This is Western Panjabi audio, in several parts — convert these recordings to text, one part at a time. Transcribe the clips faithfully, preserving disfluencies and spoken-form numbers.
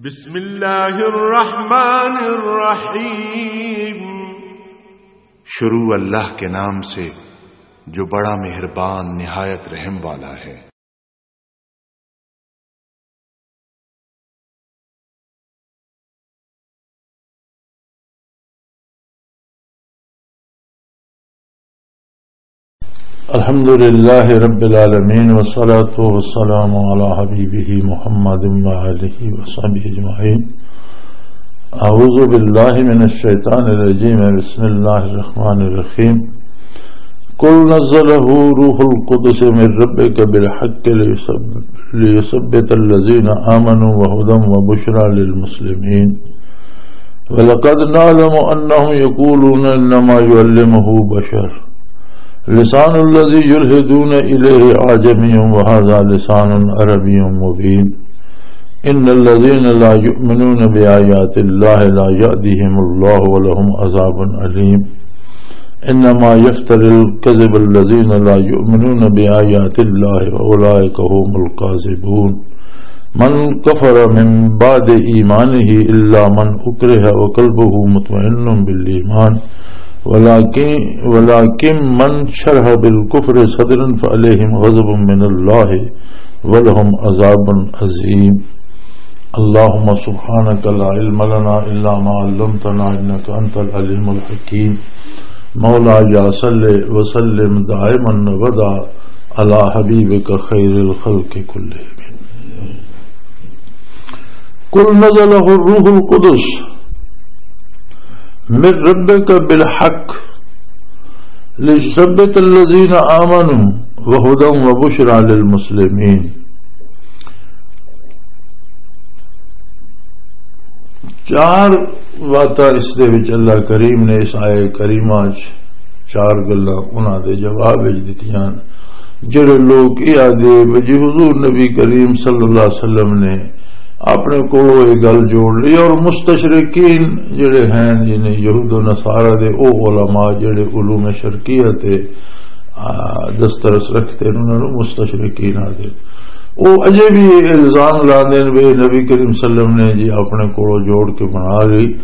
بسم اللہ الرحمن الرحیم۔ شروع اللہ کے نام سے جو بڑا مہربان نہایت رحم والا ہے۔ الحمد لله رب العالمين، والصلاة والسلام على حبيبه محمد وآله وصحبه أجمعين. أعوذ بالله من الشيطان الرجيم. بسم الله الرحمن الرحيم. قل نزله روح القدس من ربك بالحق ليثب-، ليثبت الذين آمنوا وهدى وبشرى للمسلمين. ولقد نعلم أنهم يقولون إنما يعلمه بشر. لسان الذي يلحدون إليه أعجمي وهذا لسان عربي مبين. إن الذين لا يؤمنون بآيات الله لا يهديهم الله ولهم عذاب أليم. إنما يفتر الكذب الذين لا يؤمنون بآيات الله وأولئك هم الكاذبون. من كفر من بعد إيمانه إلا من أكره وقلبه مطمئن بالإيمان، ولكن، ولكن من شرح بالكفر صدرا فعليهم غضب من الله ولهم عذاب عظيم. اللهم سبحانك لا علم لنا إلا ما علمتنا إنك أنت العليم الحكيم. مولاي صل وسلم دائما أبدا على حبيبك خير الخلق كلهم. قل نزله الروح القدس من ربك بالحق ليثبت الذين آمنوا وهدى وبشرى للمسلمين. چار باتاں اس دے وچ اللہ کریم نے اس آیے کریمہ چ چار گلاں انہاں دے جواب وچ دتیاں۔ جڑے لوگ یہ آدھے بھی جی حضور نبی کریم صلی اللہ علیہ وسلم نے اپنے کولوں یہ گل جوڑ لی، اور مستشرقین جڑے ہیں، یعنی یہود و نصارہ دے، او علماء جڑے علوم شرقیہ تے، آ، دسترس رکھتے ہیں، انہاں نوں مستشرقین آدھے۔ او اجے بھی یہ الزام لاندے نے بھی نبی کریم صلی اللہ علیہ وسلم نے جی اپنے کولوں جوڑ کے بنا لی۔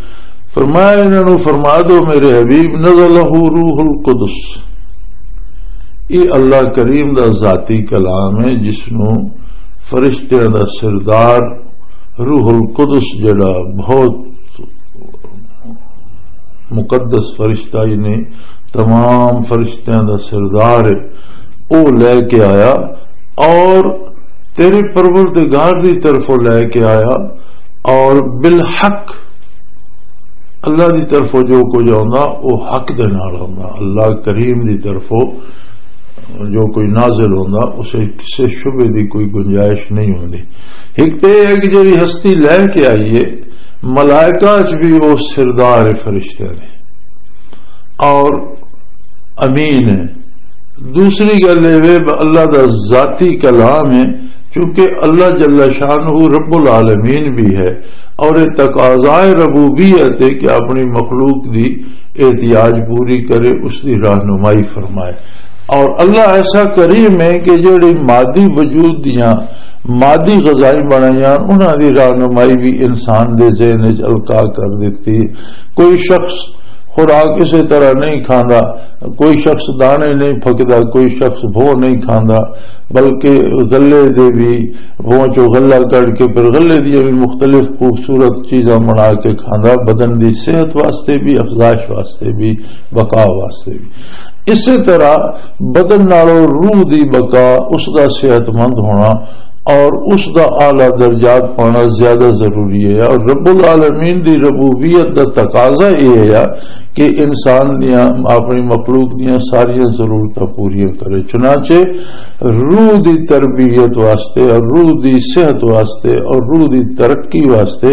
فرمایا انہاں نوں فرما دو میرے حبیب، نزلہ روح القدس، یہ اللہ کریم دا ذاتی کلام ہے جس نوں فرشتیاں دا سردار روح القدس جڑا بہت مقدس فرشتہ، یعنی تمام فرشتیاں دا سردار ہے، او لے کے آیا اور تیرے پروردگار دی طرفوں لے کے آیا اور بالحق اللہ دی طرفوں جو کچھ آندا، او حق دے نال آندا۔ اللہ کریم دی طرفوں جو کوئی نازل ہوندا، اسے کسے شبے دی کوئی گنجائش نہیں ہوندی۔ ایک تے یہ ہے کہ جڑی ہستی لے کے آئی ہے، ملائکہ چ بھی وہ سردار فرشتے نے اور امین ہے۔ دوسری گل یہ وے، اللہ دا ذاتی کلام ہے، کیونکہ اللہ جل شانہ رب العالمین بھی ہے اور یہ تقاضائے ربوبیت ہے کہ اپنی مخلوق دی احتیاج پوری کرے، اس دی رہنمائی فرمائے۔ اور اللہ ایسا کریم ہے کہ جڑی مادی وجود دیاں مادی غذائیں بنائیاں، انہاں دی رہنمائی بھی انسان دے ذہن وچ القا کر دتی۔ کوئی شخص خوراک اسے طرح نہیں کھاندا، کوئی شخص دانے نہیں پھکدا، کوئی شخص بھو نہیں کھاندا، بلکہ غلے دے بھی، بھو چوں غلہ کڈ کے پھر غلے دیاں بھی مختلف خوبصورت چیزاں بنا کے کھاندا، بدن دی صحت واسطے بھی، افزائش واسطے بھی، بقا واسطے بھی۔ اسی طرح بدن نالوں روح دی بقا، اس دا صحت مند ہونا اور اس دا اعلیٰ درجات پانا زیادہ ضروری ہے۔ اور رب العالمین دی ربوبیت دا تقاضا یہ ہے کہ انسان دیاں، اپنی مخلوق دیاں ساریاں ضرورتاں پوریاں کرے۔ چنانچہ روح دی تربیت واسطے اور روح دی صحت واسطے اور روح دی ترقی واسطے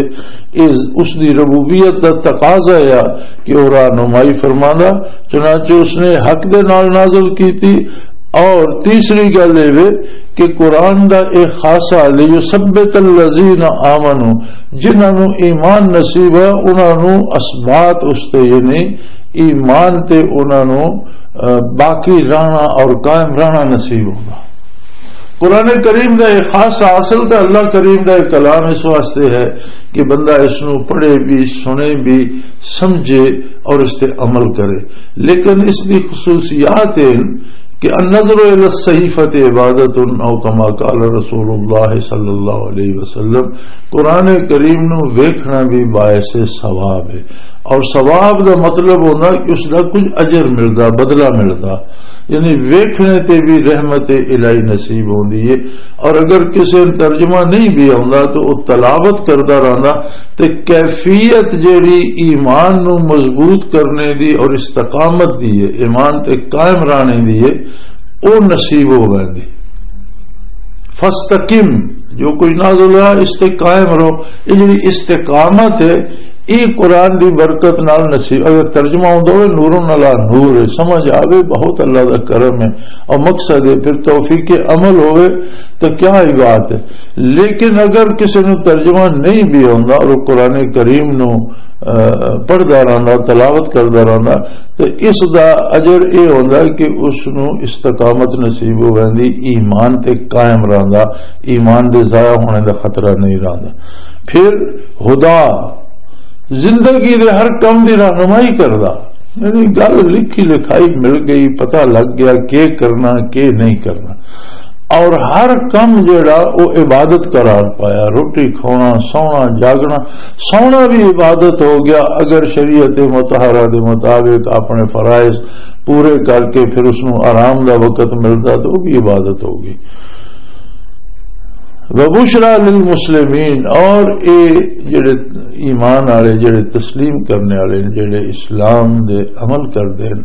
اس، اس دی ربوبیت دا تقاضا ہے کہ وہ رہنمائی فرماندا۔ چنانچہ اس نے حق دے نال نازل کیتی۔ اور تیسری گل یہ وے کہ قرآن دا ایک خاصہ، لیثبت الذین آمنوا، جنہاں نوں ایمان نصیب ہے، انہاں نوں اثبات اس تے، یعنی ایمان تے انہاں نوں، آ، باقی رہنا اور قائم رہنا نصیب ہوگا۔ قرآن کریم دا ایک خاص اصل تے اللہ کریم دا ایک کلام اس واسطے ہے کہ بندہ اس نو پڑھے بھی، سنے بھی، سمجھے اور اس تے عمل کرے۔ لیکن اس دی خصوصیات ہیں کہ النظر الی الصحیفۃ عبادۃ، او کما قال رسول اللہ صلی اللہ علیہ وسلم، قرآن کریم نو ویکھنا بھی باعث ثواب ہے۔ اور ثواب دا مطلب ہونا کہ اس دا کچھ اجر ملدا، بدلہ ملدا، یعنی ویکھنے تے بھی رحمت الہی نصیب ہوندی ہے۔ اور اگر کسے نوں ترجمہ نہیں بھی آوندا تو وہ تلاوت کردا رہندا تے کیفیت جیڑی ایمان نو مضبوط کرنے دی اور استقامت دی ہے، ایمان تے قائم رہنے دی ہے، او نصیب ہو ویندی۔ فاستقم، جو کچھ نازل ہوا، اس تے قائم رہو۔ یہ جڑی استقامت ہے، یہ قرآن دی برکت نال نصیب۔ اگر ترجمہ ہوندا ہوئے، نور علی نور ہے، سمجھ آوے، بہت اللہ دا کرم ہے، اور مقصد ہے، پھر توفیق عمل ہوئے، تو کیا ہی بات ہے۔ لیکن اگر کسی نو ترجمہ نہیں بھی ہوندا اور قرآن کریم نو، آ، پڑھدا رہندا، تلاوت کردا رہندا، تو اس دا اجر اے ہوندا کہ اس نو استقامت نصیب ہو ویندی، ایمان تے قائم رہندا، ایمان دے ضائع ہونے دا خطرہ نہیں رہندا۔ پھر ہدا، زندگی دے ہر کم دی رہنمائی کردا، یعنی گل لکھی لکھائی مل گئی، پتہ لگ گیا کہ کرنا کہ نہیں کرنا۔ اور ہر کم جڑا وہ عبادت قرار پایا، روٹی کھانا، سونا، جاگنا، سونا بھی عبادت ہو گیا اگر شریعت مطہرہ دے مطابق اپنے فرائض پورے کر کے پھر اس نوں آرام دا وقت ملدا تو وہ بھی عبادت ہو گئی۔ وبشرا للمسلمین، اور اے جڑے ایمان والے، جڑے تسلیم کرنے والے، جڑے اسلام دے عمل کردے ہیں،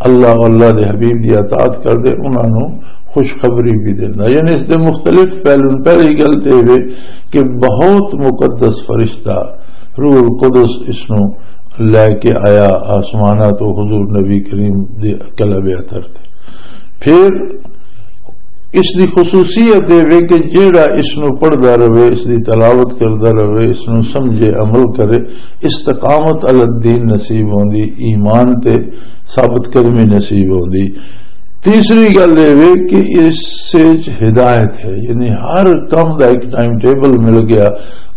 اللہ، اللہ دے حبیب دی اطاعت کردے، انہاں نوں خوشخبری بھی دیندا۔ یعنی اس دے مختلف پہلو۔ پہلی گل تے اے وے کہ بہت مقدس فرشتہ روح القدس اس نوں لے کے آیا آسمانہ تو حضور نبی کریم دے قلب اطہر تے۔ پھر اس دی خصوصیت اے وے کہ جیڑا اس نو پڑھدا رہے، اس دی تلاوت کردا رہے، اس نو سمجھے، عمل کرے، استقامت علی الدین نصیب ہوندی، ایمان تے ثابت قدمی نصیب ہوندی۔ تیسری گل اے وے کہ اس وچ ہدایت ہے، یعنی ہر کم دا ایک ٹائم ٹیبل مل گیا،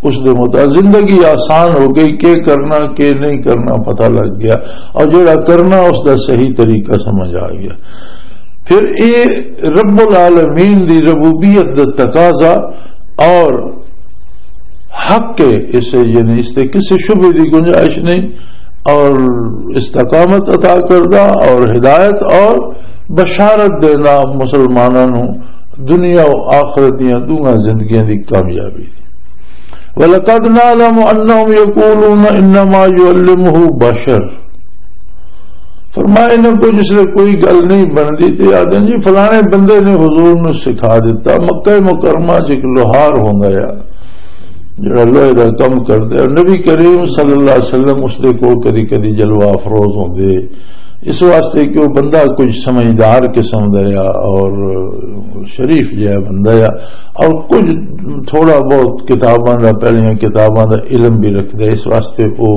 اس دے مطابق زندگی آسان ہو گئی، کہ کرنا کہ نہیں کرنا پتہ لگ گیا، اور جڑا کرنا اس دا صحیح طریقہ سمجھ آ گیا۔ پھر اے رب العالمین دی ربوبیت دا تقاضا اور حق ہے، اسے یعنی اس تے کسی شبہ دی گنجائش نہیں، اور استقامت عطا کردہ اور ہدایت اور بشارت دینا مسلماناں نوں دنیا و آخرت دیاں دوواں زندگیاں دی کامیابی۔ وَلَقَدْ نَعْلَمُ أَنَّهُمْ يَقُولُونَ إِنَّمَا يُعَلِّمُهُ بَشَرٌ۔ فرمایا، انہاں کو جس لئے کوئی گل نہیں بندی تے آدھے جی فلانے بندے نے حضور نو سکھا دیتا۔ مکہ مکرمہ چ ایک لوہار ہوندا ہے جڑا لوہے دا کم کردا ہے، نبی کریم صلی اللہ علیہ وسلم اس دے کول کدی کدی جلوہ افروز ہوندے، اس واسطے کہ وہ بندہ کچھ سمجھدار قسم دا ہے اور شریف جہا بندہ ہے، اور کچھ تھوڑا بہت کتاباں دا، پہلیاں کتاباں دا علم بھی رکھدا ہے، اس واسطے وہ،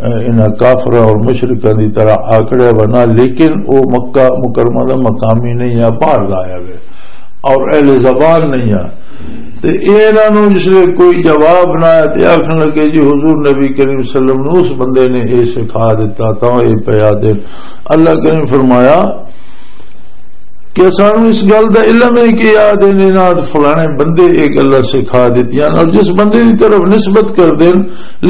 اے، انہاں کافراں اور مشرکاں دی طرح آکڑیا بنا، لیکن وہ مکہ مکرمہ دا مقامی نہیں ہے، باہر دا آیا ہوئے اور اہل زبان نہیں ہے۔ تے انہاں نوں جس لئے کوئی جواب نہ آیا تے آکھن لگے، جی حضور نبی کریم صلی اللہ علیہ وسلم نوں اس بندے نے اے سکھا دیتا، تاں اے پیا دے۔ اللہ کریم فرمایا کہ سانوں اس گل دا علم ہے کہ یاد انہاں فلانے بندے اے گلاں سکھا دتیاں، اور جس بندے دی طرف نسبت کر دین،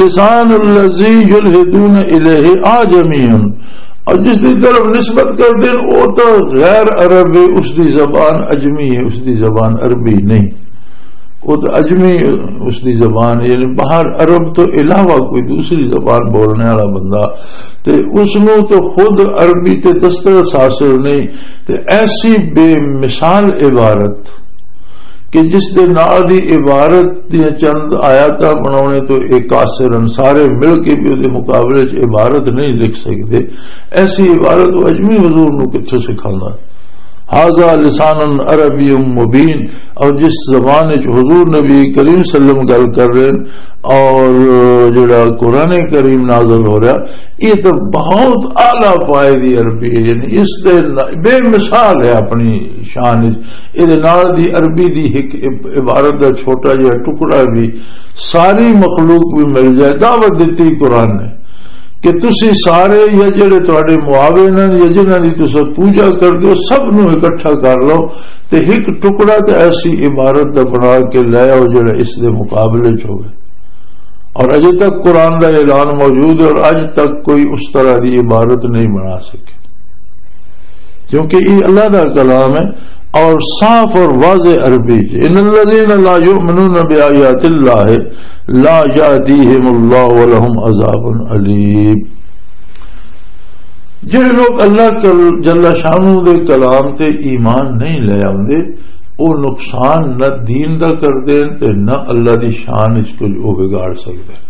لسان الذی یلحدون الیہ آجمی، اور جس دی طرف نسبت کر دین، او تو غیر عرب ہے، اس دی زبان عجمی ہے، اس دی زبان عربی نہیں۔ وہ تو عجمی اس دی زبان ہے، یعنی باہر عرب تو علاوہ کوئی دوسری زبان بولنے والا بندہ، تے اس نو تو خود عربی تے دسترس حاصل نہیں۔ تے ایسی بے مثال عبارت کہ جس دے نال دی عبارت دیاں چند آیاتاں بناونے تو ایک کاسر ان سارے مل کے بھی دے مقابلے چ عبارت نہیں لکھ سکتے، ایسی عبارت وہ عجمی حضور نو کتھوں سکھانا؟ ھذا لسان عربی مبین، اور جس زبان وچ حضور نبی کریم صلی اللہ علیہ وسلم گل کر رہے ہیں اور جڑا قرآن کریم نازل ہو رہا، یہ تو بہت اعلیٰ پائے دی عربی ہے، یعنی اس دے ن-، بے مثال ہے اپنی شان وچ۔ یہ نال دی عربی دی ایک عب-، عبارت دا چھوٹا جہا ٹکڑا بھی ساری مخلوق بھی مل جائے، دعوت دیتی قرآن نے کہ تسی سارے یا جڑے تواڈے معاون ہیں یا جنہاں دی تساں پوجا کردے ہو، سب نوں اکٹھا کر لو تے ایک ٹکڑا تے ایسی عبارت دا بنا کے لے آؤ جڑا اس دے مقابلے چ ہوے۔ اور اجے تک قرآن دا اعلان موجود ہے اور اج تک کوئی اس طرح دی عبارت نہیں بنا سکے، کیونکہ یہ اللہ دا کلام ہے اور صاف اور واضح عربی چ، ان الذین لا یؤمنون بآیات اللہ لا یهدیہم اللہ ولہم عذاب علیم۔ جڑے لوگ اللہ کل-، جل شانہ دے کلام تے ایمان نہیں لے آوندے، او نقصان نہ دین دا کردے تے نہ اللہ دی شان وچ کچھ او بگاڑ سکدے۔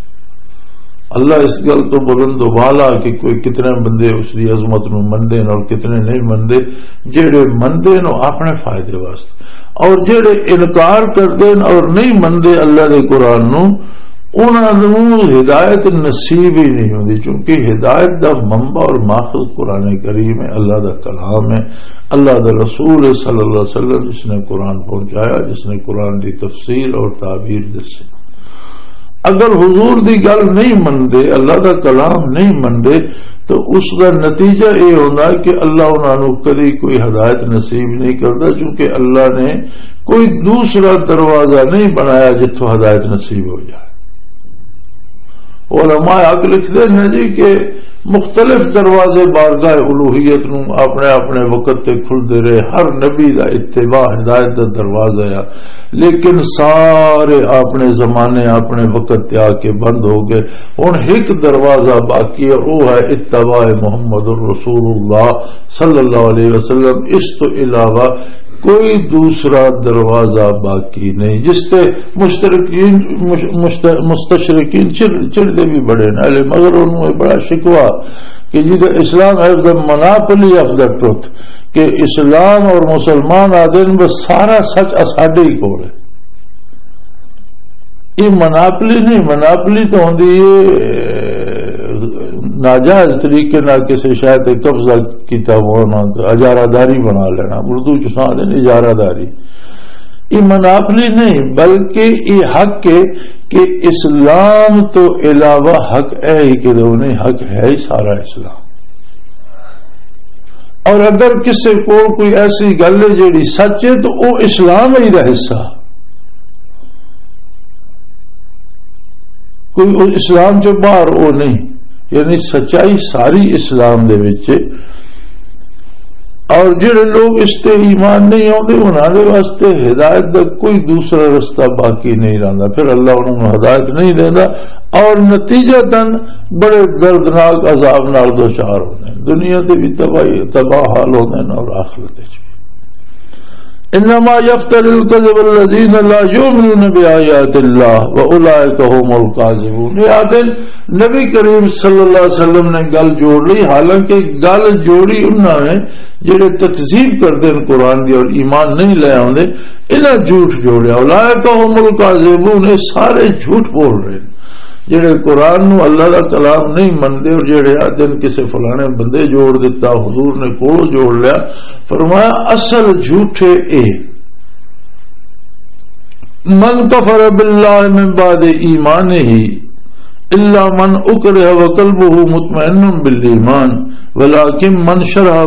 اللہ اس گل تو بلند و بالا کہ کوئی کتنے بندے اس دی عظمت نو مندے نے اور کتنے نہیں مندے۔ جڑے مندے نے اپنے فائدے واسطے، اور جڑے انکار کردے نے اور نہیں مندے اللہ دے قرآن نو، انہاں نوں ہدایت نصیب ہی نہیں ہوندی، کیونکہ ہدایت دا منبع اور ماخذ قرآن کریم ہے، اللہ دا کلام ہے، اللہ دا رسول ہے صلی اللہ علیہ وسلم، جس نے قرآن پہنچایا، جس نے قرآن دی تفسیر اور تعبیر دسی۔ اگر حضور دی گل نہیں مندے، اللہ دا کلام نہیں مندے، تو اس دا نتیجہ یہ ہونا کہ اللہ انہاں نوں کدی کوئی ہدایت نصیب نہیں کردا، کیونکہ اللہ نے کوئی دوسرا دروازہ نہیں بنایا جتھوں ہدایت نصیب ہو جائے۔ علماء حق لکھدے نے جی کہ مختلف دروازے بارگاہ الوہیت نوں اپنے اپنے وقت تے کھلدے رہے، ہر نبی دا اتباع ہدایت دا دروازہ ہے، لیکن سارے اپنے زمانے اپنے وقت تے آ کے بند ہو گئے۔ ہن ایک دروازہ باقی ہے، وہ ہے اتباع محمد الرسول اللہ صلی اللہ علیہ وسلم۔ اس تو علاوہ کوئی دوسرا دروازہ باقی نہیں۔ جس تے مشترکین، مش-، مشت-، مستشرقین چڑ-، چڑھدے بھی بڑے نے، مگر انہوں نے بڑا شکوہ کہ جی دا اسلام ہے، the monopoly of the truth، کہ اسلام اور مسلمان آدھے نے بس سارا سچ اساڈے ہی کول ہے۔ یہ مناپلی نہیں، مناپلی تو ہوندی ہے، اے، ناجائز طریقے نال کسی شے تے قبضہ کیتا ہونا، تے اجارہ داری بنا لینا۔ اردو چ اساں آندے نے اجارہ داری۔ یہ مناپلی نہیں، بلکہ یہ حق ہے کہ اسلام تو علاوہ حق ہے ہی کہ نہیں، حق ہے ہی سارا اسلام۔ اور اگر کسی کول کوئی ایسی گل ہے جیڑی سچ ہے، تو وہ اسلام ہی دا حصہ، کوئی وہ اسلام چ باہر وہ نہیں، یعنی سچائی ساری اسلام دے وچ ہے۔ اور جڑے لوگ اس تے ایمان نہیں آتے، انہاں دے واسطے ہدایت دا کوئی دوسرا رستہ باقی نہیں رہندا، پھر اللہ انہاں نوں ہدایت نہیں دیندا، اور نتیجتاً بڑے دردناک عذاب نال دوچار ہوندے ہیں۔ دنیا تے بھی تباہی، تباہ حال ہوندے ہیں اور آخرت وچ بھی۔ انما یفتر الکذب الذین لا یؤمنون بآیات اللہ واولئک هم الکاذبون۔ یہ آتے نبی کریم صلی اللہ علیہ وسلم نے گل جوڑ لی، حالانکہ گل جوڑی انہاں نے جڑے تکذیب کردے ہیں قرآن دی اور ایمان نہیں لے آوندے، انہاں جھوٹ جوڑیا۔ اولئک هم الکاذبون، یہ سارے جھوٹ بول رہے ہیں۔ جڑے قرآن نو اللہ دا کلام نہیں مندے اور جڑے آدھے نے کسے فلانے بندے جوڑ دیتا، حضور نے کولو جوڑ لیا، فرمایا اصل جھوٹے اے۔ من کفر باللہ من بعد ایمانہ الا من اکرہ وقلبہ مطمئن بالایمان ولکن من شرح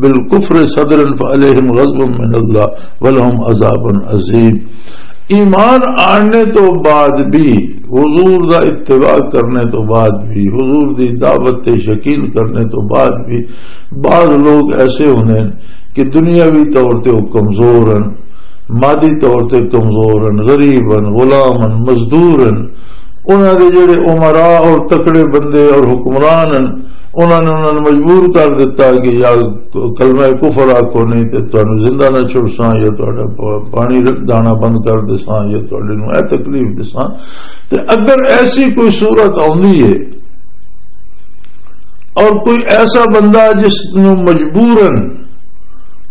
بالکفر صدرا فعلیہم غضب من اللہ ولہم عذاب عظیم۔ ایمان آنے تو بعد بھی، حضور دا اتباع کرنے تو بعد بھی، حضور دی دعوت تے یقین کرنے تو بعد بھی بعض لوگ ایسے ہوندے ہیں کہ دنیاوی طور تے وہ کمزور ہیں، مادی طور تے کمزور ہیں، غریب ہیں، غلام ہیں، مزدور ہیں۔ انہاں دے جڑے امراء اور تکڑے بندے اور حکمران ہیں، انہاں نے انہاں نوں مجبور کر دتا کہ یا کلمہ کفر آکھو، نہیں تے تانوں زندہ نہ چھڑساں، یا تہاڈا پ-، پانی ر-، دانا بند کر دساں، یا تہاڈے نوں اے تکلیف دساں۔ تے اگر ایسی کوئی صورت آندی ہے اور کوئی ایسا بندہ جس نوں مجبوراً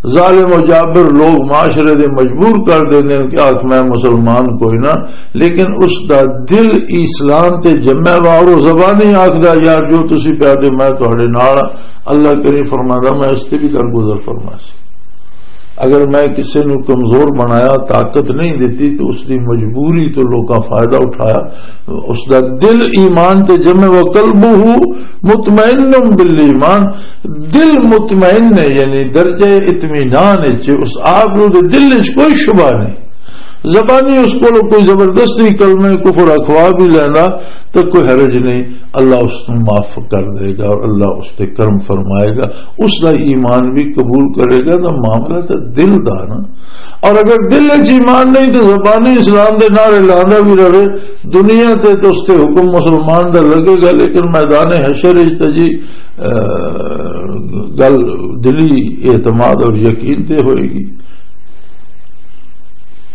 ظالم و جابر لوگ معاشرے دے مجبور کر دیندے نے کہ آکھ میں مسلمان کوئی نہ، لیکن اس دا دل اسلام تے جمع وا، اور وہ زبانی آکھدا، "یار، جو تسی پیا دے، میں تہاڈے نال ہاں۔" اللہ کریم فرماندا، "میں اس تے بھی درگزر فرما سی۔" اگر میں کسے نو کمزور بنایا، طاقت نہیں دتی، تو اس دی مجبوری تو لوکاں فائدہ اٹھایا۔ اس دا دل ایمان تے جمع، "وقلبہ مطمئن بالایمان۔" دل مطمئن ہے، یعنی درجہ اطمینان وچ، اس آپ نو دے دل وچ کوئی شبہ نہیں۔ زبانی اس کو کوئی زبردستی کلمہ کفر اخوا بھی لینا تو کوئی حرج نہیں، اللہ اس کو معاف کر دے گا اور اللہ اس تے کرم فرمائے گا، اس کا ایمان بھی قبول کرے گا۔ تو معاملہ تو دل دا نا۔ اور اگر دل وچ ایمان نہیں تو زبانی اسلام دے نعرے لاندا بھی رہے، دنیا تے تو اس تے حکم مسلمان دا لگے گا، لیکن میدان حشر وچ تے جی، اے، گل دلی اعتماد اور یقین تے ہوئے گی۔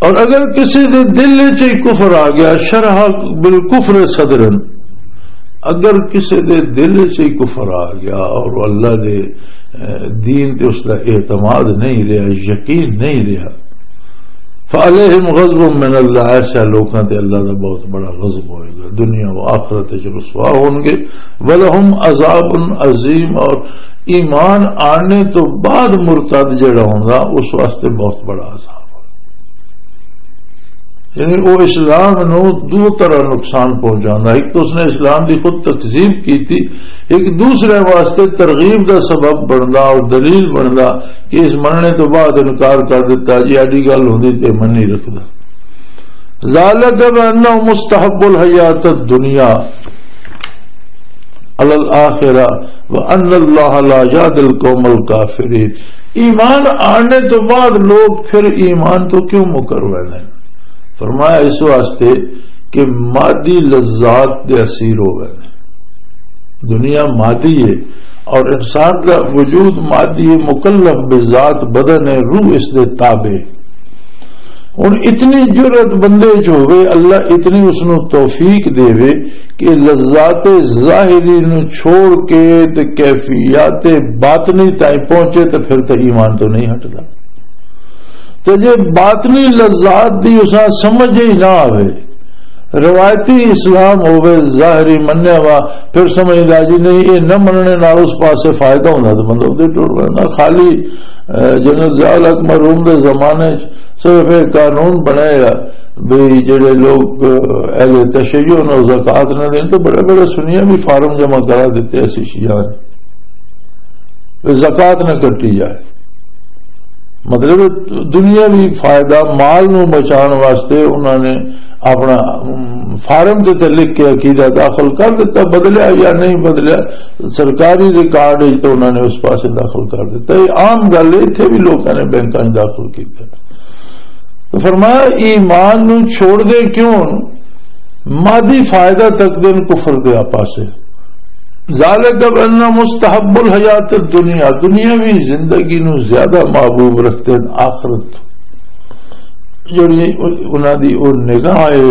اور اگر کسی دے دل وچ ہی کفر آ گیا، شرح بالکفر صدرن، اگر کسی دے دل وچ ہی کفر آ گیا اور وہ اللہ دے، اے، دین تے اس دا اعتماد نہیں رہا، یقین نہیں رہا، فعلیہم غضب من اللہ، ایسے لوکاں تے اللہ دا بہت بڑا غضب ہوئے گا، دنیا و آخرت وچ رسوا ہون گے۔ ولہم عذاب عظیم، اور ایمان آنے تو بعد مرتد جڑا ہوندا، اس واسطے بہت بڑا عذاب ہے۔ یعنی وہ اسلام نو دو طرح نقصان پہنچانا، ایک تو اس نے اسلام دی خود تکذیب کی تھی، ایک دوسرے واسطے ترغیب دا سبب بندا اور دلیل بندا کہ اس مننے تو بعد انکار کر دیتا، جی ایڈی گل ہوندی تے من نہیں رکھدا۔ ذالک بانہم مستحب الحیات الدنیا علی الآخرہ وان اللہ لا یہدی القوم الکافرین۔ ایمان آنے تو بعد لوگ پھر ایمان تو کیوں مکر ہوئے نے؟ فرمایا اس واسطے کہ مادی لذات دے اسیر ہو گئے نے۔ دنیا مادی ہے اور انسان کا وجود مادی ہے، مکلف بذات بدن ہے، روح اس دے تابع۔ ہن اتنی جرأت بندے چ ہوے، اللہ اتنی اس نو توفیق دے کہ لذات ظاہری نو چھوڑ کے تے کیفیات باطنی تائیں پہنچے تے پھر تے ایمان تو نہیں ہٹدا۔ تے جے باطنی لذات دی اساں سمجھ ہی نہ آوے، روایتی اسلام ہووے، ظاہری منیا وا، پھر سمجھدا جی نہیں، یہ نہ مننے نال اس پاسے فائدہ ہوندا، تے بندہ ادھر ٹر پیندا۔ خالی، اے، جنرل ضیاء الحق مرحوم دے زمانے چ صرف ایک قانون بنایا بھئی جڑے لوگ، اے، اہل تشیع نے زکوٰۃ نہ دین، تو بڑے بڑے سنیاں بھی فارم جمع کرا دیتے ایسی شیعہ نے، بھئی زکوٰۃ نہ کٹی جائے۔ مطلب، دنیاوی فائدہ، مال نو بچان واسطے انہاں نے اپنا، ام، فارم تے تے لکھ کے عقیدہ داخل کر دیتا، بدلیا یا نہیں بدلیا، سرکاری ریکارڈ وچ تو انہاں نے اس پاسے داخل کر دیتا۔ یہ عام گل ہے، اتھے بھی لوکاں نے بینکاں وچ داخل کیتا۔ تو فرمایا، ایمان نو چھوڑ دے کیوں؟ مادی فائدہ تک دین کفر دے پاسے۔ ذالک بأن مستحب الحیات الدنیا، دنیاوی زندگی نو زیادہ محبوب رکھتے ہیں آخرت، جڑی انہاں دی او نگاہ ہے،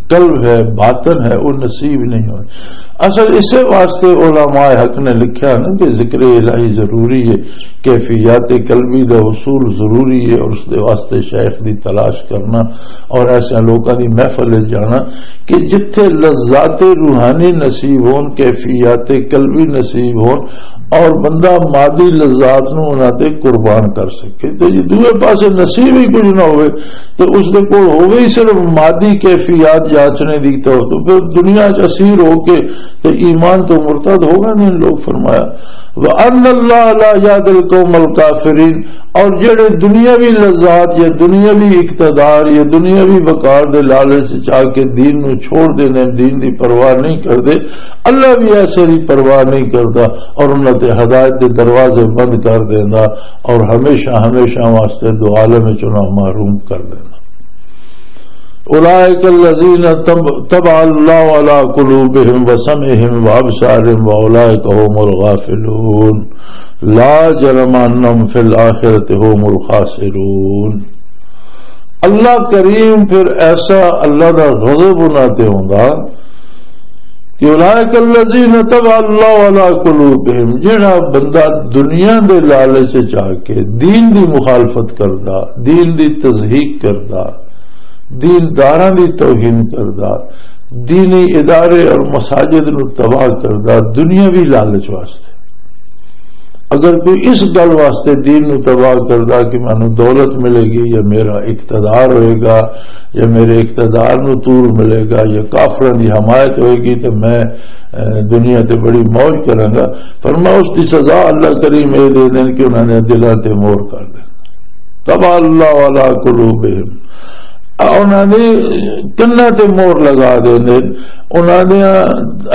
قلب ہے، باطن ہے، او نصیب نہیں ہوئے۔ اصل اسے واسطے علماء حق نے لکھیا نا کہ ذکر الہی ضروری ہے، کیفیات قلبی دا حصول ضروری ہے، اور اس دے واسطے شیخ دی تلاش کرنا اور ایسے لوکاں دی محفل وچ جانا کہ جتھے لذات روحانی نصیب ہون، کیفیات قلبی نصیب ہون، اور بندہ مادی لذات نو انہاں تے قربان کر سکے۔ تے جے دوئے پاسے نصیب ہی کچھ نہ ہوئے، تے اس دے کول ہوئے ہی صرف مادی کیفیات جاچنے دی، تو، تو پھر دنیا چ اسیر ہو کے تے ایمان تو مرتد ہو گئے نے لوگ۔ فرمایا، وَأَنَّ اللَّهَ لَا يَهْدِي الْقَوْمَ الْكَافِرِينَ، اور جڑے دنیاوی لذات یا دنیاوی اقتدار یا دنیاوی وقار دے لالچ وچ آ کے دین نو چھوڑ دیندے، دین دی پرواہ نہیں کردے، اللہ بھی ایسے دی پرواہ نہیں کردا اور انہاں تے ہدایت دے دروازے بند کر دیندا اور ہمیشہ، ہمیشہ واسطے دو عالم وچ انہاں محروم کر دیندا۔ اولئک الذین طب-، طبع اللہ علی قلوبہم وسمعہم وابصارہم واولئک هم الغافلون۔ لا جرم انہم فی الآخرۃ هم الخاسرون۔ اللہ کریم پھر ایسا، اللہ دا غضب انہاں تے ہوندا کہ اولئک الذین طبع اللہ علی قلوبہم، جڑا بندہ دنیا دے لالچ وچ آ کے دین دی مخالفت کردا، دین دی تضحیق کردا، دین داراں دی توہین کردا، دینی ادارے اور مساجد نو تباہ کردا دنیاوی لالچ واسطے۔ اگر کوئی اس گل واسطے دین نو تباہ کردا کہ مینوں دولت ملے گی یا میرا اقتدار ہوئے گا یا میرے اقتدار نو طول ملے گا یا کافراں دی حمایت ہوئے گی تو میں، اے، دنیا تے بڑی موج کراں گا، فرمایا اس دی سزا اللہ کریم اے دے دین کہ انہاں نے دلاں تے مور کر دے۔ طبع اللہ علی قلوبہم، انہاں نے کناں تے مور لگا دے دین، انہاں نے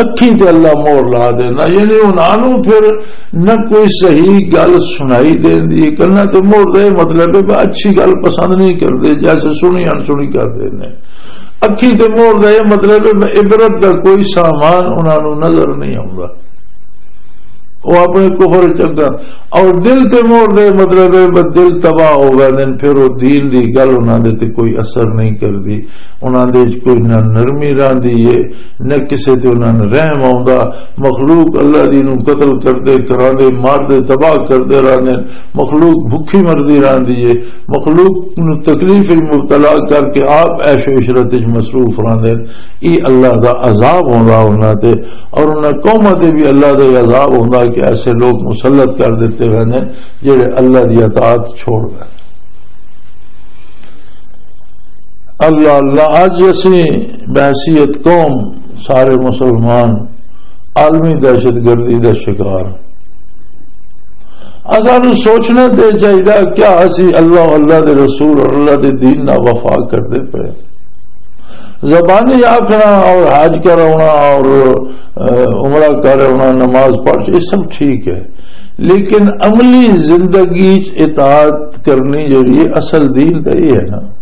اکھیں تے اللہ مور لا دینا، یعنی انہاں نوں پھر نہ کوئی صحیح گل سنائی دیندی۔ کناں تے مور دا یہ مطلب ہے کہ اچھی گل پسند نہیں کردے، جیسے سنی انسنی کر دیندے۔ اکھیں تے مور دا یہ مطلب ہے کہ عبرت دا کوئی سامان انہاں نوں نظر نہیں آوندا، وہ اپنے کفر چنگا۔ اور دل تے مور دے مطلب ہے بس دل تباہ ہو گئے دین، پھر وہ دین دی گل انہاں دے تے کوئی اثر نہیں کردی۔ انہاں دے وچ کوئی نہ نرمی راندی ہے، نہ کسے تے انہاں نوں رحم آوندا۔ مخلوق اللہ دی نوں قتل کردے، کراندے، ماردے، تباہ کردے راندے۔ مخلوق بھکھی مردی راندی ہے، مخلوق نوں تکلیف وچ مبتلا کر کے آپ عیش و عشرت وچ مصروف راندے۔ یہ اللہ دا عذاب ہوندا انہاں تے، اور انہاں قوماں تے بھی اللہ دا یہ عذاب ہوندا کہ ایسے لوگ مسلط کر دیتے ہوئے نے جڑے اللہ دی اطاعت چھوڑ گئے۔ اللہ اللہ، اج اسی بحیثیت قوم سارے مسلمان عالمی دہشت گردی دا شکار۔ اساں نوں سوچنا تے چاہیدا کیا اسی اللہ، اللہ دے رسول اور اللہ دے دین نال وفا کردے پئے؟ زبانی آکھنا اور حج کراونا اور، اہ، عمرہ کراونا، نماز پڑھ، یہ سب ٹھیک ہے، لیکن عملی زندگی چ اطاعت کرنی جڑی ہے، اصل دین تے یہ ہے نا۔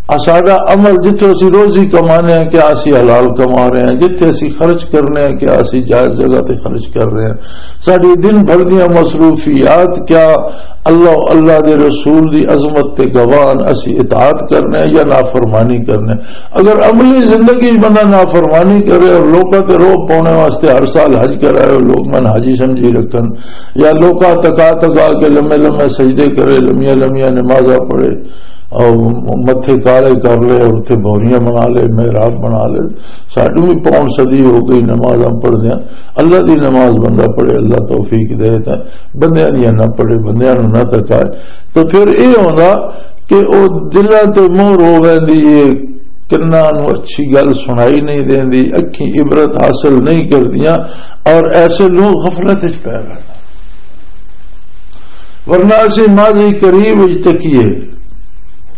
آ ساڈا عمل، جتھے اسی روزی کمانے ہیں، کیا اسی حلال کما رہے ہیں؟ جتھے اسی خرچ کرنے ہیں، کیا اسی جائز جگہ تے خرچ کر رہے ہیں؟ ساڈی دن بھر دیاں مصروفیات کیا اللہ، اللہ دے رسول دی عظمت تے گواہن اسی اطاعت کرنے ہیں یا نافرمانی کرنے ہیں؟ اگر عملی زندگی بندہ نافرمانی کرے اور لوکاں تے روب پانے واسطے ہر سال حج کرائے اور لوگ من حاجی سمجھی رکھن، یا لوکاں تکا تکا کے لمے لمے سجدے کرے، لمیاں لمیاں نمازاں پڑھے، اور متھے کالے کر لے اور اتھے بھوریاں بنا لے، محراب بنا لے۔ ساڈو بھی پون صدی ہو گئی نمازاں پڑھدیاں۔ اللہ دی نماز بندہ پڑھے، اللہ توفیق دے تے بندیاں دی نہ پڑھے، بندیاں نوں نہ تکائے۔ تو پھر اے ہوندا کہ او دلاں تے مہر ہو ویندی ہے، کناں نوں اچھی گل سنائی نہیں دیندی، اکھیں عبرت حاصل نہیں کردیاں، اور ایسے لوگ غفلت وچ پے رہنا۔ ورنہ اسی ماضی قریب وچ تکیے،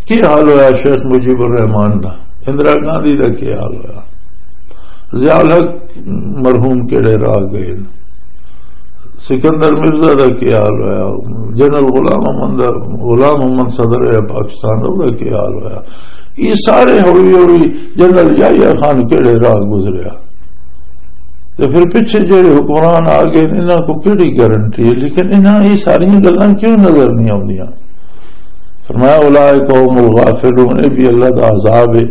کی حال ہویا شیخ مجیب الرحمان دا، اندرا گاندھی دا کی حال ہویا، ضیاء الحق مرحوم کیڑے راہ گئے، سکندر مرزا دا کی حال ہویا، جنرل غلام محمد دا، غلام محمد صدر ہے پاکستان دا، دا کی حال ہویا؟ یہ سارے ہوئی ہوئی جنرل یحییٰ خان کیڑے راہ گزریا؟ تے پھر پچھے جڑے حکمران آ گئے، انہاں کو کیڑی گارنٹی ہے؟ لیکن انہاں یہ ساری گلاں کیوں نظر نہیں آوندیاں؟ فرمایا، "اولئک هم الغافلون"، یہ بھی اللہ دا عذاب ہے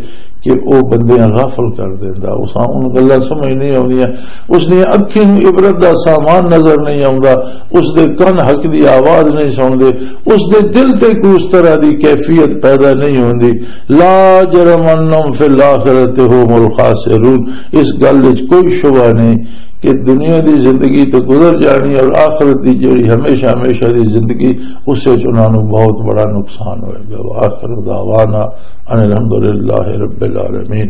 کہ وہ بندے غافل کر دیندا۔ اس ان گلاں سمجھ نہیں آوندیاں، اس نے اکھیں نوں عبرت دا سامان نظر نہیں آوندا، اس دے کن حق دی آواز نہیں سنتے، اس دے دل تے کوئی اس طرح دی کیفیت پیدا نہیں ہوندی۔ "لا جرم انہم فی الآخرۃ هم الخاسرون"، اس گل وچ کوئی شبہ نہیں کہ دنیا دی زندگی تو گزر جانی اور آخرت دی جڑی ہمیشہ ہمیشہ دی زندگی، اس وچ انہاں نوں بہت بڑا نقصان ہوئے گا۔ وآخر دعوانا ان الحمدللہ رب العالمین۔